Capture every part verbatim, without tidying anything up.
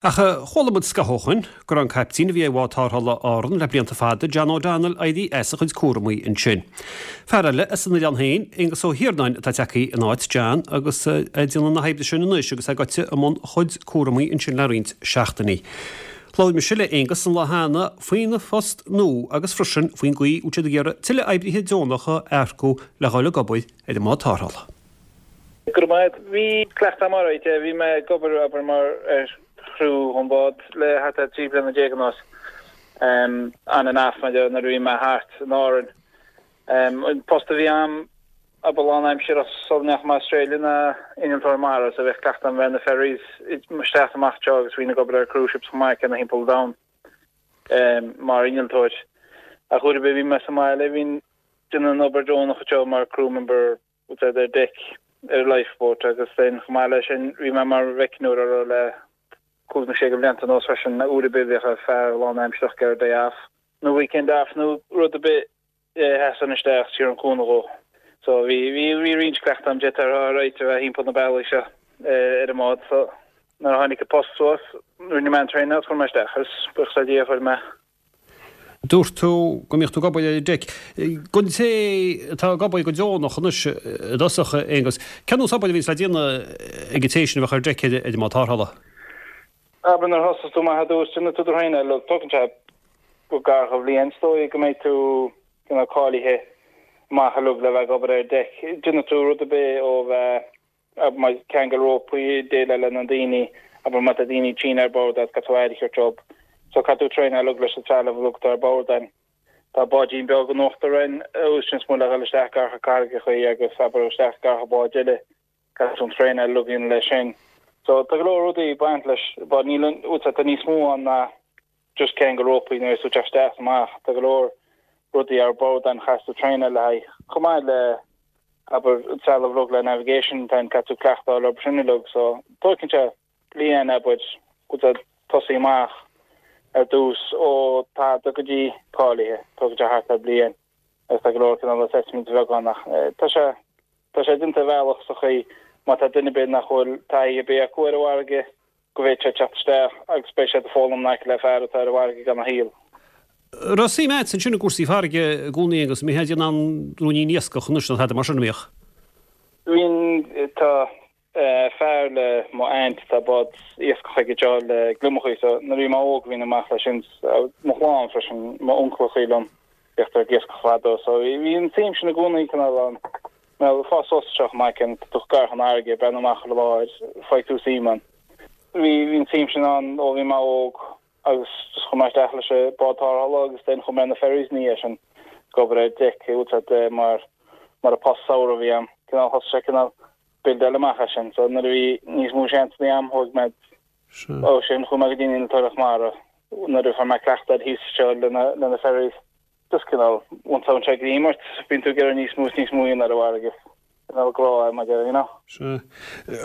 Ach chuala muid scaitheamh ó shin go raibh an caiptín a bhí ar bhád tarrthála Árann le blianta fada, John O'Donnell, éirithe as a chuid cúramaí ansin. Fear eile as an oileán féin, Aengus Ó hIarnáin, atá tagtha in áit John agus é ag déanamh na hoibre sin anois agus é gaibhte i mbun a chuid cúramaí ansin le roinnt seachtainí. Labhair mise le Aengus an lá cheana faoina phost nua agus freisin faoin gcaoi a bhfuil siad ag iarraidh tuilleadh oibrithe deonacha a earcú le dhul ag obair ar an mbád tarrthála. Go raibh maith. Bhí cleachtadh agam alright, bhí mé ag obair abair mar ar chriú an bád le thart ar trí bliana déag anuas. Um, on and off mar nuair a bhí mé thart in Árainn. Um, an post a bhí agam abair lánaimseartha sula ndeachaigh mé Australia ná innealtóir mara so bheadh cleachtadh agam bheith na ferries isteach amach seo agus bhínn ag obair ar cruise ships chomh maith céanna thimpeall an domhain um, mar innealtóir. Ach uair ar bith bhí mé sa mbaile bhínn déanamh an obair deonach seo mar crew member ar deck ar lifeboat agus then chomh maith leis sin bhí mé mar mheicneoir ar le cúig nó sé blianta anuas freisin na uair ar bith bheadh fear lánaimsearach ar day off nó weekend off nó rud ar bith sheasann isteach tír an cúnamh dhó. So bhí bhí bhí roinnt cleachtadh agam déanta ar réit a bheith thimpeall na bealaí seo ar an mbád so nuair a tháinig an post suas rinne mé an traenáil agus chuir mé isteach agus buíochas le Dia fuair mé. Dúirt tú go mbíodh tú ag obair ar deic. Don té atá ag obair go deonach anois i dtosach Aengus, cén nós obair a bhíonns le déanamh ag an té sin a bheadh ar deic ar an mbád tarrthála? Abair nuair a thosas tú amach ar dtús déanann tú do thraenáil uilig tógann sé go gar do bhliain is dóigh go mbeidh tú you know, cáilithe amach uilig le bheith ag obair ar deic. Déanann tú rud ar bith ó bheith mar ceangal rópaí déileáil le na daoine abair má tá daoine tinn ar bord agus caithfidh tú aire a thabhairt dóibh. So caithfidh tú traenáil uilig leis an trealamh uilig atá ar bord ann. Tá báidín beag in uachtar ann úsáideann muid le dhul isteach gar do carraigeacha agus abair isteach gar do báid eile caithfidh tú an traenáil uilig a dhéanamh leis sin. So tá go leor rudaí ag baint leis but níl an tá níos mó ann ná just ceangal rópaí nuair is tú teacht isteach amach tá go leor rudaí ar bord an chaithfidh tú traenáil le haghaidh chomh maith le abair trealamh uilig le navigation tá caithfidh tú cleachtadh le sin uilig so tógann sé bliain abair go tosaí amach ar dtús ó tada go dtí cáilithe tógann sé thart ar bliain agus tá go leor cineál assessment bheag ann ach tá sé tá sé déanta bealach sa chaoi má tá duine ar bith nach bhfuil taithí ar bith acu ar an bhfarraige go bhféadfadh sé teacht isteach agus beidh sé ag foghlaim in aice le fear atá ar an bhfarraige gan a shaol. Raibh suim agat ansin i gcúrsaí farraige i gcónaí agus mé in ann ruainín iascach anois nó tada mar sin a mbíodh. Bhíonn tá fear le mo aunt tá bád iascach aige seo le gliomachaí so nuair a bhí mé óg bhínn amach leis sin mo chlann freisin mo uncaileachaí liom bhíodh ag iascach fadó so bhí an tsuim sin i gcónaí cineál ann. Well fás suas seo maith an tú gar an fharraige breathnú amach ar láir fhaigh tú suim ann. Bhí bhí an tsuim sin ann ó bhí mé óg agus just chuaigh mé isteach leis an bád tarrthála agus then chuaigh mé na ferries ní sin ag obair ar deic úsáid mar mar a post samhradh a bhí ann. Cineál thosaigh sé cineál buildáil amach as sin so nuair a bhí níos mó seans agam thóg mé ó sin chuaigh mé go dtí an innealtóireacht mara nuair a fuair mé cleachtadh thíos seo lena lena ferries. Just cineál once an sé greim ort bíonn tú ag iarraidh níos mó is níos mó a dhéanamh ar an bhfarraige. Cineál grá é mar you know. Sea.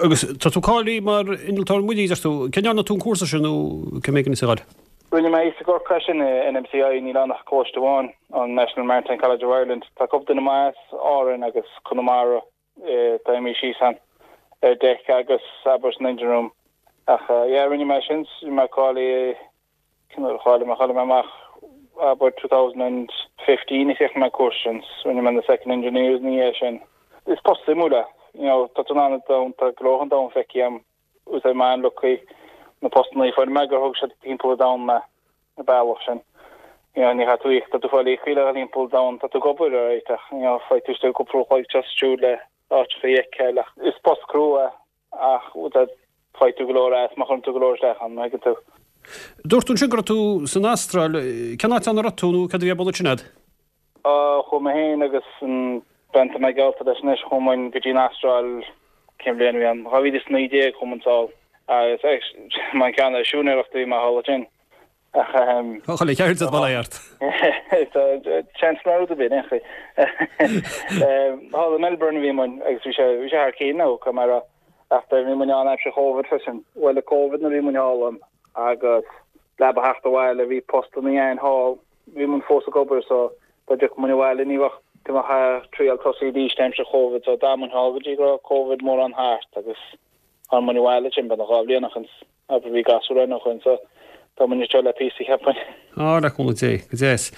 Agus tá tú cáilithe mar innealtóir muirí deir tú. Cén ndearna tú an cúrsa sin nó cé mhéad is a gháil? Rinne mé i gCorcaigh sin NMCI níl ann ach coláiste amháin an National Maritime College of Ireland. Tá cúpla duine maith as Árainn agus Conamara tá mé síos an ar deic agus abair san engine room. Ach yeah, rinne mé sin mé cáilithe cháiligh mé cháiligh mé amach abair two thousand and fifteen is mé cúrsa sin rinne mé na second engineers ní é sin. Is post suimiúil é you know, tá tú in ann an domhan tá go leor an domhan feicthe agam úsáid mé an lucky na postanna fuair mé gur thug siad timpeall an domhan mé na bealach sin. You know, ní chaithfidh tú íoc tá tú fáil íocaí le timpeall an domhan tá tú ag obair ar ach you know, faighidh tú istigh cúpla uair a chloig just siúl le áiteacha a fheiceáil ach is post crua ach faighidh tú go leor as má chuireann tú go leor isteach ann, má thuigeann tú. Dúirt tú ansin go raibh tú san Astráil, cén áit ann a raibh tú nó cad a bhí ar bun ansin agat? Chuaigh mé féin agus an bean atá mé gaolta leis anois, chuaigh muid go dtí an Astráil cén bhliain a bhí ann, dhá mhíle is naoi déag chuaigh muid sall agus mar an gcéanna siúinéireacht a bhí mé thall ansin. Ach Tá chuile cheird ag baile ort. Seans mar rud ar bith, aon chaoi. Thall i Melbourne a bhí muid agus bhí sé bhí sé thar cionn nó go mar ach bhí muid ann aimsir Covid freisin. Bhuel Covid nuair a bhí muid thall ann agus le ba theacht abhaile bhí postanna ann thall, bhí muid fós ag obair so dá dtiocfadh muid abhaile ní bheadh go mbeadh triail tosaithe arís aimsir Covid so d'fhan muid thall go dtí go raibh Covid mórán thart agus tháinig muid abhaile sin beagnach dhá bhliain ó shin. Abair bhí gasúr ann ó shoin so tá muid anseo le píosa cheapfainn. Á, le cúnamh Dé, go deas.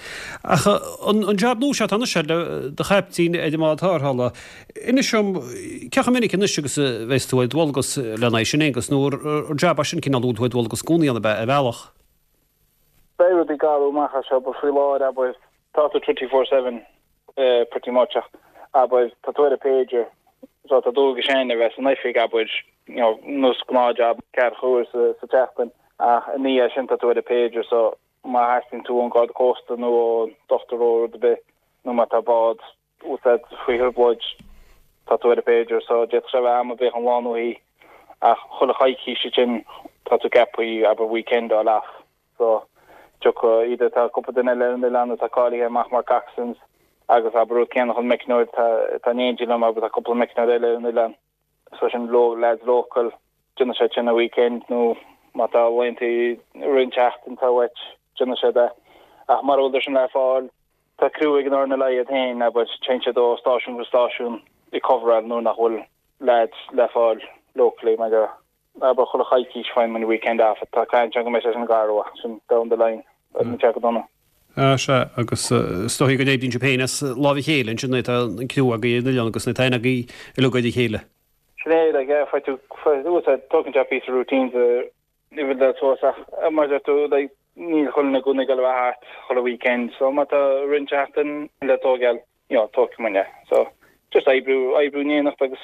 Ach an an jab nua seo atá anois le do chaiptín ar an mbád tarrthála, inis dom cé chomh minic anois agus a bheas tú ar dualgas lena aghaidh sin Aonghus, nó ar jab é sin cineál a bhfuil tú ar dualgas i gcónaí ann ab ea, ar bhealach? Beidh rudaí ag athrú amach as seo but faoi láthair abair tá tú twenty four seven pretty much ach abair tá tú ar an pager so tá dualgas againn a bheith san oifig abair you know nós gnáth-jab ceathracha uair sa sa tseachtain ach i ndiaidh sin tá tú ar an pager so má theastaíonn tú ón Garda Cósta nó ón dochtúir nó rud ar bith nó má tá bád úsáid faoi thrioblóid tá tú ar an pager so d'fhéadfadh sé a bheith am ar bith an lá nó oíche ach chuile choicís ansin tá tú ceaptha abair weekend a fháil off so tiocfaidh either tá cúpla duine eile ar an oileán atá cáilithe amach mar coxswains agus abair rud céanna chun meicneoir tá tá in éindí liom abair tá cúpla meicneoir eile ar an oileán so sin lo lads local déanann siad sin an weekend nó má tá laethanta i rith an tseachtain tá uait déanann siad é ach mura bhfuil sin le fáil tá criú ag an RNLI iad féin abair téann siad ó stáisiún go stáisiún ag coveráil nuair nach bhfuil lads le fáil locally mar go abair chuile choicís faigheann muid weekend off tá caint ann go mbeidh sé sin gar uaidh sin down the line agus níl sé go dona. Ah sea, agus is dóigh go n-oibríonn sibh féin as lámh a chéile ansin nuair atá an criú agaibh ar an oileán agus nuair atá aithne agaibh uilig ar a chéile. Sin é, like, yeah, faigh tú, faigh tú, tógann sé píosa routines a bhuild suas ach mar a deir tú, like, níl chuile dhuine i gcónaí ag dul a bheith thart chuile weekend so má tá roinnt seachtain le tógáil, you know, tógfaidh muid é. So, just oibriú, oibriú in éineacht agus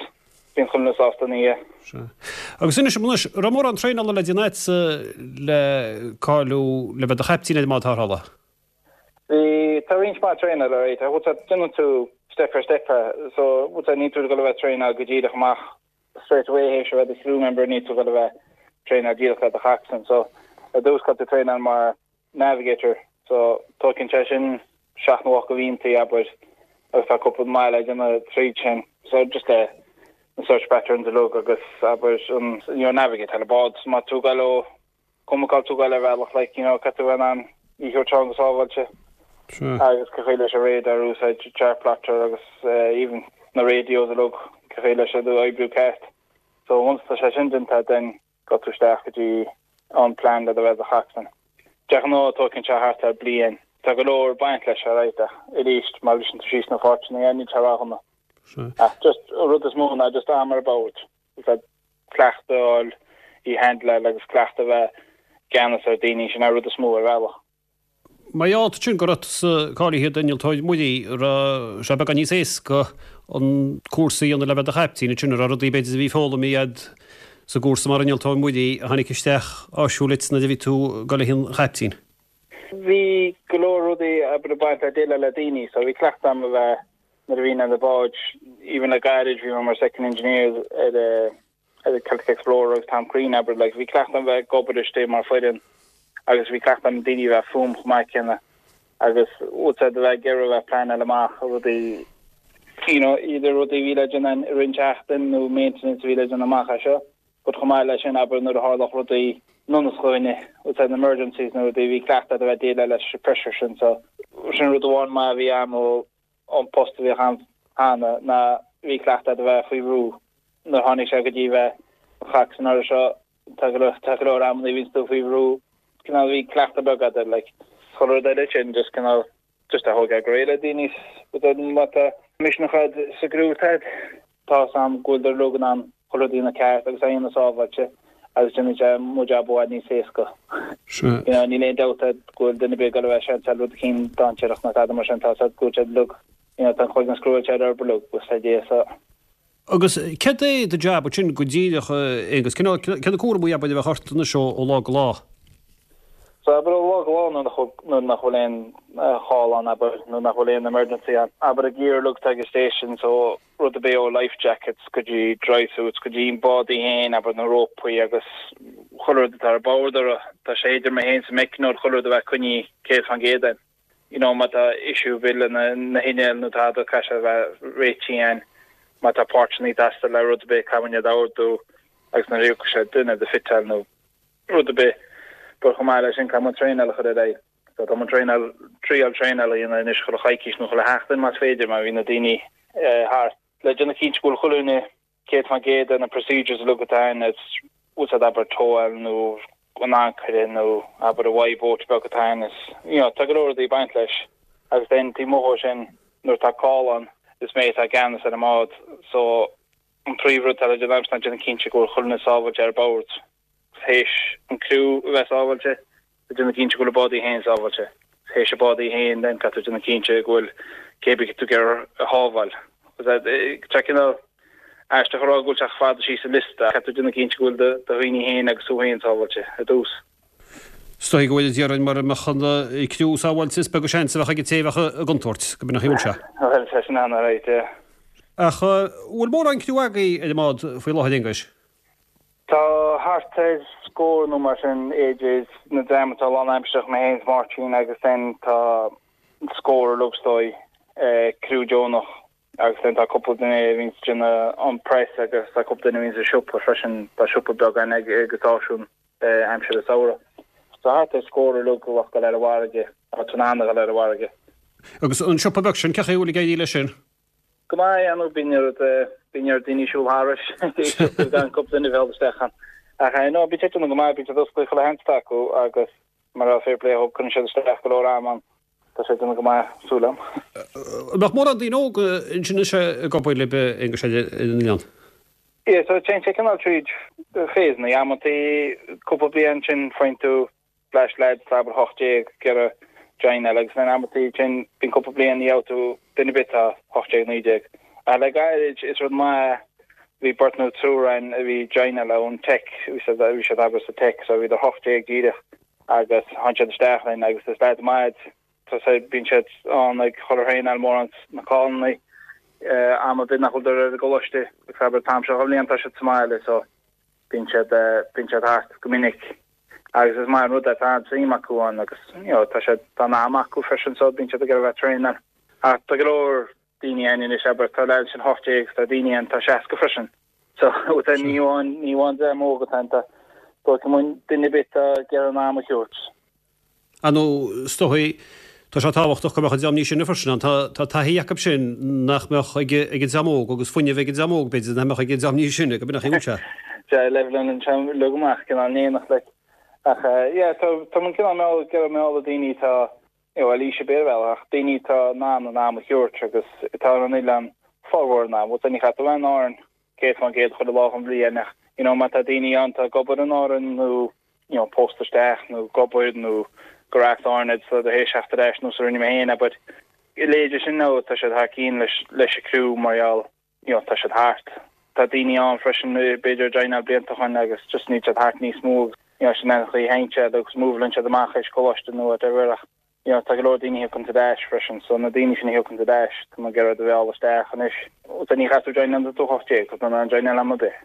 bíonn chuile dhuine sásta ina dhiaidh. Sea. Agus inis dom anois, raibh mórán traenála le déanamh agatsa le cáiliú le bheith do chaiptín ar an mbád tarrthála? Bhí, tá roinnt mhaith traenála, right, bhfuil a fhios agat, déanann tú step ar step é, so bhfuil a fhios agat, níl tú ag dul a bheith traenáil go díreach amach straight away théis a bheith do crew member, níl tú ag dul a bheith traenáil díreach le do choxswain, so ar dtús caithfidh tú traenáil mar navigator, so tógann sé sin seacht nó ocht de mhíontaí, abair, agus tá cúpla maith le déanamh tríd sin, so just le na search patterns uilig agus abair an you know navigate ar an bád, má tá tú ag dul ó cuma cá bhfuil tú ag dul ar bhealach like you know caithfidh tú bheith in ann í a thabhairt ann go sábháilte agus cén chaoi leis an radar a úsáid chart plotter agus even na radios uilig cén chaoi leis iad a oibriú ceart. So once tá sé sin déanta then gabh tú isteach go dtí an plan le do bheith do choxswain. De ghnáth tógann sé thart ar bliain. Tá go leor ag baint leis alright ach arís má bhriseann tú síos na páirteanna níl sé ródhona. Ach just an rud is mó ná just am ar bord. Cleachtadh a fháil í handleáil agus cleachtadh a bheith i gceannas ar daoine sin an rud is mó ar bhealach. Mar gheall ansin go raibh tusa cáilithe d'innealtóir muirí, raibh sé beagán níos éasca an cúrsa a dhéanamh le bheith do chaiptín ansin, an raibh rudaí b'fhéidir a bhí foghlamtha agat sa gcúrsa mar innealtóir muirí a tháinig isteach áisiúil duit nuair a bhí tú ag dul le haghaidh an chaiptín? Bhí go leor rudaí abair ag baint le déileáil le daoine so bhí cleachtadh agam a bheith nuair a bhínn ar na báid, even le gairid bhí mé mar second engineer ar ar an Celtic Explorer agus Tom Crean abair like bhí cleachtadh agam bheith ag obair istigh mar foireann agus bhí cleachtadh agam daoine a bheith fúm chomh maith céanna agus bhfuil a fhios agat a bheith ag iarraidh a bheith pleanáil amach rudaí you know either rudaí a bhí le déanamh i rith an tseachtain nó maintenance a bhí le déanamh amach as seo but chomh maith leis sin abair nuair a tharlódh rudaí nonnas chugainne bhfuil a fhios agat emergencies nó rudaí bhí cleachtadh a bheith déileáil leis an pressure sin so sin rud amháin maith a bhí agam ó an post a bhíodh agam cheana ná bhí cleachtadh a bheith faoi bhrú nuair a tháinig sé go dtí bheith coxswain air seo tá go leor tá go leor amanna a bhíonns tú faoi bhrú cineál bhí cleachtadh beag agat air like chuile rud eile sin just cineál just a thógáil go réidh le daoine má tá misneach agat sa gcriú tá tá a fhios agam go bhfuil uilig in ann chuile rud a dhéanamh ceart agus a dhéanamh sábháilte agus déanann sé mo jab i bhfad níos éasca. Sea. You know níl aon dabht a'd go bhfuil duine ar bith ag dul a bheith seans rud eicínt dainséarach nó tada mar sin tá a fhios a'd go bhfuil siad uilig you know tá an cloigeann screwáilte ar orthu uilig with idea so. Agus céard é do jab ansin go díreach Aonghus? Cén cé na cúraimí abair a bheadh ort anois ó ó lá go lá? So abair ó lá go lá nuair nach nuair nach bhfuil aon chall ann abair nuair nach bhfuil aon emergency ann abair an gear uilig atá ag an station so rud ar bith ó life jackets go dtí dry suits go dtí an bád í féin abair na rópaí agus chuile rud atá ar bord orthu tá sé idir mé féin 's an meicneoir chuile rud a bheith coinnithe céad faoin gcéad ann. You know má tá issue ar bith le na na hinnill nó tada caithfidh sé a bheith réitithe againn má tá páirteanna ag teastáil le rud ar bith caithfidh muid iad a ordú agus nuair a thiocfaidh sé duine iad a fiteáil nó rud ar bith but chomh maith leis sin caithfidh muid traenáil a chur ar aghaidh so tá muid traenáil triail traenáil a dhéanamh anois chuile choicís nó chuile sheachtain más féidir má bhíonn na daoine thart le déanamh cinnte go bhfuil chuile dhuine céad faoin gcéad ar na procedures uilig atá ann is úsáid abair towáil nó an ancaire nó abair an Y-boat beag atá ann is you know tá go leor rudaí ag baint leis agus then taobh amuigh dhó sin nuair atá call ann is mé atá i gceannas ar an mbád so an príomhrud atá le déanamh agamsa ná déanamh cinnte go bhfuil chuile dhuine sábháilte ar bord théis an criú a bheith sábháilte déanamh cinnte go bhfuil an bád í féin sábháilte théis an bád í féin then caithfidh tú déanamh cinnte go bhfuil cé bith tú ag iarraidh a shábháil. Tá cineál aisteach a rá go bhfuil sé chomh fada síos an liosta, caithfidh tú déanamh cinnte go bhfuil do dhaoine féin agus tú féin sábháilte ar dtús. Is dóigh go bhfuil, a déarfainn, mura mbeadh an criú sábháilte is beag an seans a bheadh ag an té a bheadh i gcontúirt, go b'in an chaoi a bhfuil sé. Bhuel, tá sin an-right, yeah. Ach bhfuil mórán criú agaibh ar an mbád faoi láthair, Aonghuis? Tá thart ar scór nó mar sin idir na dream atá lánaimsearach, mé féin is Máirtín agus then tá scór uilig is dóigh, criú deonach agus then tá cúpla duine a bhíonns ag déanamh an press agus tá cúpla duine a bhíonns sa siopa freisin, tá siopa beag againn ag an stáisiún aimsir an samhradh. So thart ar scór uilig a bheadh ag dul ar an bhfarraige, atá in ann a dhul ar an bhfarraige. Agus an siopa beag sin, cén chaoi a bhfuil ag éirí leis sin? Go maith, yeah, nó bíonn oiread, bíonn oiread daoine ag siúl thairis, gan cúpla duine a bheith isteach ann. Ach no, bíonn sé ag déanamh go maith, bíonn siad oscailte chuile sheans atá acu agus mar a fair play dhóibh, cuireann siad isteach go leor ama ann. Tá sé ag déanamh go maith, súil agam. An mbeadh mórán daoine óga ansin anois ag obair libh, Aonghus, ar an oileán? Yeah, so téann sé cineál tríd phasanna. Amantaí cúpla bliain ansin faigheann tú bleaist leaids atá abair hocht déag ag iarraidh joineáil agus then amantaí ansin bíonn cúpla bliain ní gheobhaidh tú duine ar bith atá hocht déag, naoi déag. Ach le gairid is rud maith bhí beirt nó triúr ann a bhí ag joineáil ón Tech, bhí siad bhí siad abair sa Tech so bhíodar hocht déag díreach agus tháinig siad isteach linn agus is leaids maith iad. Tá sé, bíonn siad ann ag dhul ar thraenáil mórán sna callanna am ar bith nach bhfuil ar an gcoláiste agus abair an t-am seo den bhliain tá siad sa mbaile so bíonn siad bíonn siad thart go minic agus is maith an rud é tá an-suim acu ann agus you know tá siad tá an am acu freisin so bíonn siad ag iarraidh a bheith ag traenáil. Ach tá go leor daoine ann anois abair tá leaids sin hocht déag tá daoine ann tá seasca freisin so ní amháin ní amháin dream óg atá ann tá dóigh go duine ar bith atá ag iarraidh an am a thabhairt. Ar ndóigh, is dóigh, tá sé tábhachtach go mbeadh an dream níos sine freisin ann. Tá tá taithí acu sin nach mbeadh ag ag an dream óg agus fuinneamh ag an dream óg, b'fhéidir, nach mbeadh ag an dream níos sine, go b'in an chaoi a bhfuil sé. Sea, leibhéal an dream uilig amach, cineál in éineacht like. Ach yeah, tá tá muid cineál mealladh, ag iarraidh mealladh daoine atá, you know, bhuel aois ar bith ar bhealach, ach daoine atá in ann an am a thabhairt agus atá ar an oileán formhór an am. Bhuel, ní chaithfidh tú a bheith in Árainn céad faoin gcéad chuile lá den bhliain ach, you know, má tá daoine ann atá ag obair in Árainn nó, you know, pósta isteach nó ag obair nó gur as Árainn iad so théis theacht ar ais nós a rinne mé féin but a leithéid sin nó tá siad thar cinn leis leis an criú mar gheall you know tá siad thart. Tá daoine ann freisin b'fhéidir a joineáil blianta ó shin agus just níl siad thart níos mó agus you know sin an chaoi a théann siad agus moveálann siad amach théis coláiste nó whatever ach you know tá go leor daoine a thiocfaidh ar ais freisin so na daoine sin a thiocfaidh ar ais tá muid ag iarraidh iad a mhealladh isteach anois. So ní chaithfidh tú joineáil nuair atá tú hocht déag tá tú in ann joineáil am ar bith.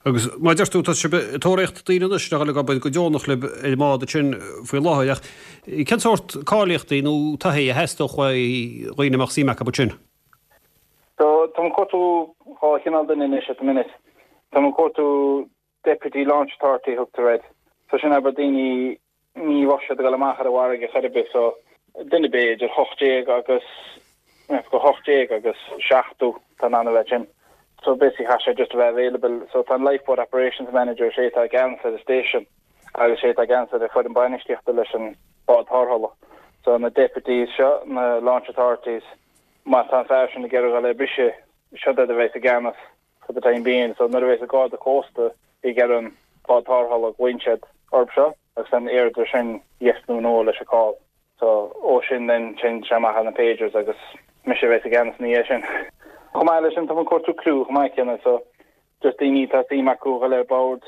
Agus mar a deir tú, tá sibh ag tóraíocht daoine anois le dhul ag obair go deonach libh ar an mbád ansin faoi láthair, ach cén sórt cáilíochtaí nó taithí a theastódh uaidh dhaoine a mbeadh suim acu ansin? So, táim ag cuartú dhá chineál duine anois at the minute. Táim ag cuartú Deputy Launch Authority a thugtar air. So sin abair daoine ní bheadh siad ag dul amach ar an bhfarraige chor ar bith so duine ar bith idir hocht déag agus go hocht déag agus seachtó atá in ann a bheith sin. So basically chaithfidh sé just a bheith available. So tá an Lifeboat Operations Manager sé atá i gceannas ar an station agus sé atá i gceannas ar an foireann bainistíochta leis an bád tarrthála. So na deputies seo, na launch authorities, má tá an fear sin ag iarraidh dul ar briseadh, siod iad a bheas i gceannas for the time being. So nuair a bheas an Garda Cósta ag iarraidh an bád tarrthála glaonn siad orthu seo agus then iarrtar sin yes nó no leis an call. So ó sin then téann sé amach ar na pagers agus mise a bheas i gceannas ina dhiaidh sin. Chomh maith leis sin tá muid ag cuartú criú chomh maith céanna so just daoine atá suim acu a dhul ar bord.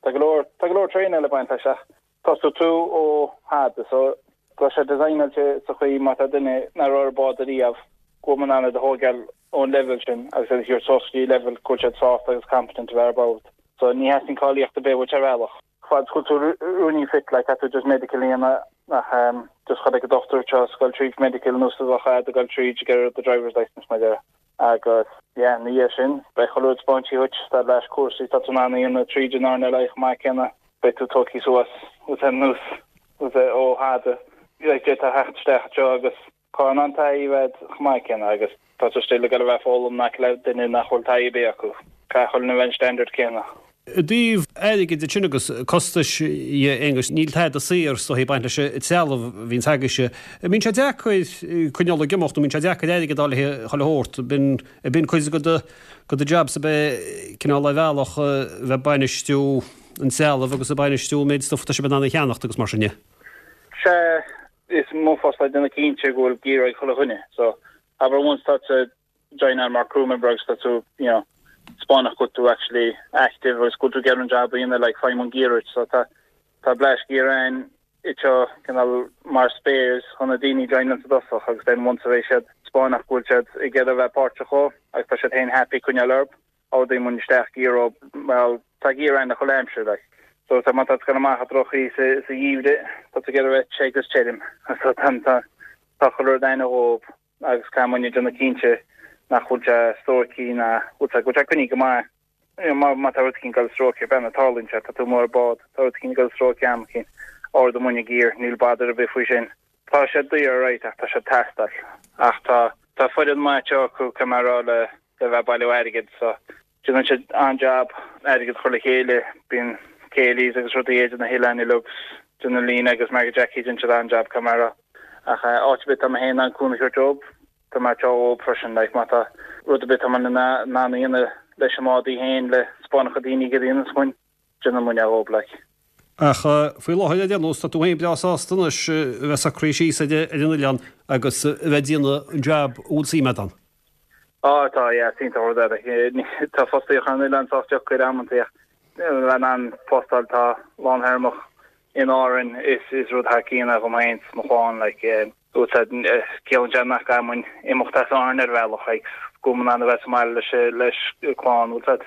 Tá go leor tá go leor traenáil ag baint leis ach tosóidh tú ó thada so tá sé designáilte sa chaoi má tá duine nach raibh ar bord ariamh go bhfuil muid in ann iad a thógáil ón level sin agus iad a thabhairt suas go dtí level go bhfuil siad sásta agus competent a bheith ar bord. So ní theastaíonn cáilíocht ar bith uait ar bhealach. Fad is go bhfuil tú ruainnín fit like caithfidh tú just medical a dhéanamh ach um, just chonaic an dochtúir seo ag dul tríd medical nós a bheadh ag dul tríd ag iarraidh do driver's licence mar dhea. Agus yeah, ina dhiaidh sin beidh chuile rud spáinte dhuit tá leis cúrsaí tá tú in ann a dhéanamh tríd an RNLI chomh maith céanna beidh tú tógtha suas with an nós with ó thada like d'fhéadfá theacht isteach anseo agus Tá in ann taithí a bheith chomh maith céanna agus tá tú still ag dul a bheith ag foghlaim in aice le duine nach bhfuil taithí ar bith acu. Caithfidh chuile dhuine a bheith an standard céanna. I dtaobh airgid de sin agus costais dhe, Aonghus, níl tada saor is dóichí ag baint leis an trealamh a bhíonns agaibhse. An mbíonn sé deacair coinneáil ag imeacht nó an mbíonn sé deacair airgead a fháil le chuile shórt? B'in, b'in cuid de do, de do jab sa bheith cineál ar bhealach bheith ag bainistiú an trealamh agus ag bainistiú an méid stuif atá sibh in ann a cheannacht agus mar sin de. Sea, is mo phost é déanamh cinnte go bhfuil gear ag chuile dhuine. So, abair once tá tú joináil mar crew member agus tá tú, you know, 'spáineach go bhfuil tú actually active agus go bhfuil tú ag iarraidh an jab a dhéanamh like faighidh muid gear duit so tá tá bleaist gear ann anseo cineál mar spares chun na daoine joináil sa dtosach agus then once a bheidh siad 'spáineach go bhfuil siad ag iarraidh a bheith páirteach dhó agus tá siad féin happy coinneáil orthu ordaíonn muid isteach gear dhóibh well tá gear ann chuile aimsir like so tá má tá tú ag gabháil amach i droch-chaoi sa sa gheimhreadh tá tú ag iarraidh a bheith te agus tirim so tá tá tá chuile rud ann dhóibh agus caithfidh muidne déanamh cinnte nach bhfuil sé stróicthe ná bhfuil sé go bhfuil sé coinnithe go maith. Má má tá rud éicint ag dul stróicthe bean tarlaíonn sé tá tú amuigh ar bád tá rud éicint ag dul stróicthe am éicint ordóidh muidne gear níl bother ar bith faoi sin. Tá sé daor right ach tá sé ag teastáil ach tá tá foireann maith anseo acu caithfidh mé a rá le le bheith ag bailiú airgid so déanann siad an-jab airgead a chur le chéile bíonn céilís agus rudaí idir na hoileáin uilig déanann Lena agus Margaret Jackie déanann siad an-jab caithfidh mé a rá. Ach áit ar bith tá mé féin in ann cúnamh a thabhairt dóibh, tá mé anseo dhóibh freisin like má tá rud ar bith tá mé in ann a dhéanamh leis an mbád í féin le 'spáineach do daoine cad a dhéanfas muid, déanann muid é dhóibh like. Ach faoi láthair ar aon nós tá tú féin breá sásta anois a bheith socraithe síos ar an oileán agus a bheith ag déanamh an jab a bhfuil suim agat ann. Á tá, yeah, is iontach an rud é. Tá fostaíocht ar an oileán sách deacair amantaí ach bheith in ann post a fháil atá lánthéarmach in Árainn is is rud thar cionn é dhom féin 's mo chlann like ciallaíonn sé nach gcaithfidh muid imeacht as Árainn ar bhealach like go bhfuil muid in ann a bheith sa mbaile leis leis an clann bhfuil 's a'd.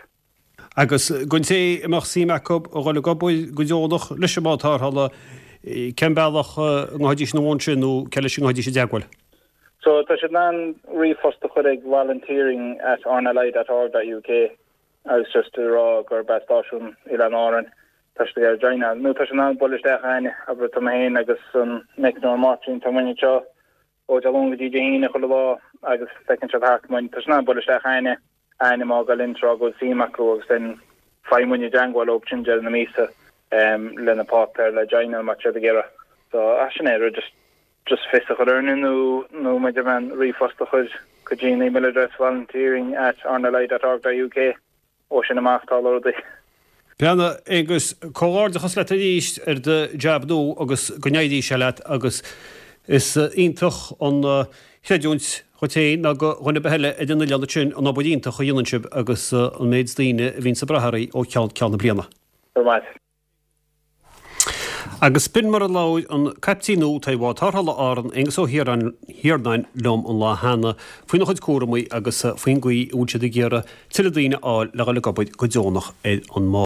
Agus don té a mbeadh suim acu a dhul ag obair go deonach leis an mbád tarrthála, cén bealach a ngabhfaidís ina bhun sin nó cé leis a ngabhfaidís i dteagmháil? So tá siad in ann ríomhphost a chur ag volunteering at rnli dot org dot uk agus just a rá gurb as stáisiún Oileáin Árann tá siad ag iarraidh joináil. Nó tá siad in ann bualadh isteach chugainne, abair tá mé féin agus an meicneoir Máirtín, tá muidne anseo ó Dé Luain go dtí Dé hAoine chuile lá agus feiceann siad thart muid. Tá siad in ann bualadh isteach chugainne, ainm a fhágáil linn is rá go bhfuil suim acu agus then faigheann muidne i dteangmháil leo sin deireadh na míosa le na páipéir le joináil má tá siad ag iarraidh. So ah sin é, just just fios a chur orainne nó nó muid a bheith ríomhphost a chur go dtí an email address volunteering at rnli dot org dot uk. Ó sin amach tá rudaí. Breathnaigh, Aonghus, comhghairdeachas leat arís ar do jab nua agus go n-éirí sé leat agus is iontach an chreidiúint dhuit féin ná do dhuine ar bith eile ar an oileán ansin an obair iontach a dhéanann sibh agus an méid daoine a bhíonns ag brath oraibh ó cheann ceann na bliana. Go raibh maith. Agus b'in mar a labhair an caiptín nua atá ar bhád tarrthála Árann, Aonghus Ó hIarnáin liom an lá cheana faoina chuid cúramaí agus faoin gcaoi a bhfuil siad ag iarraidh tuilleadh daoine a fháil le dhul ag obair go deonach ar an mbád.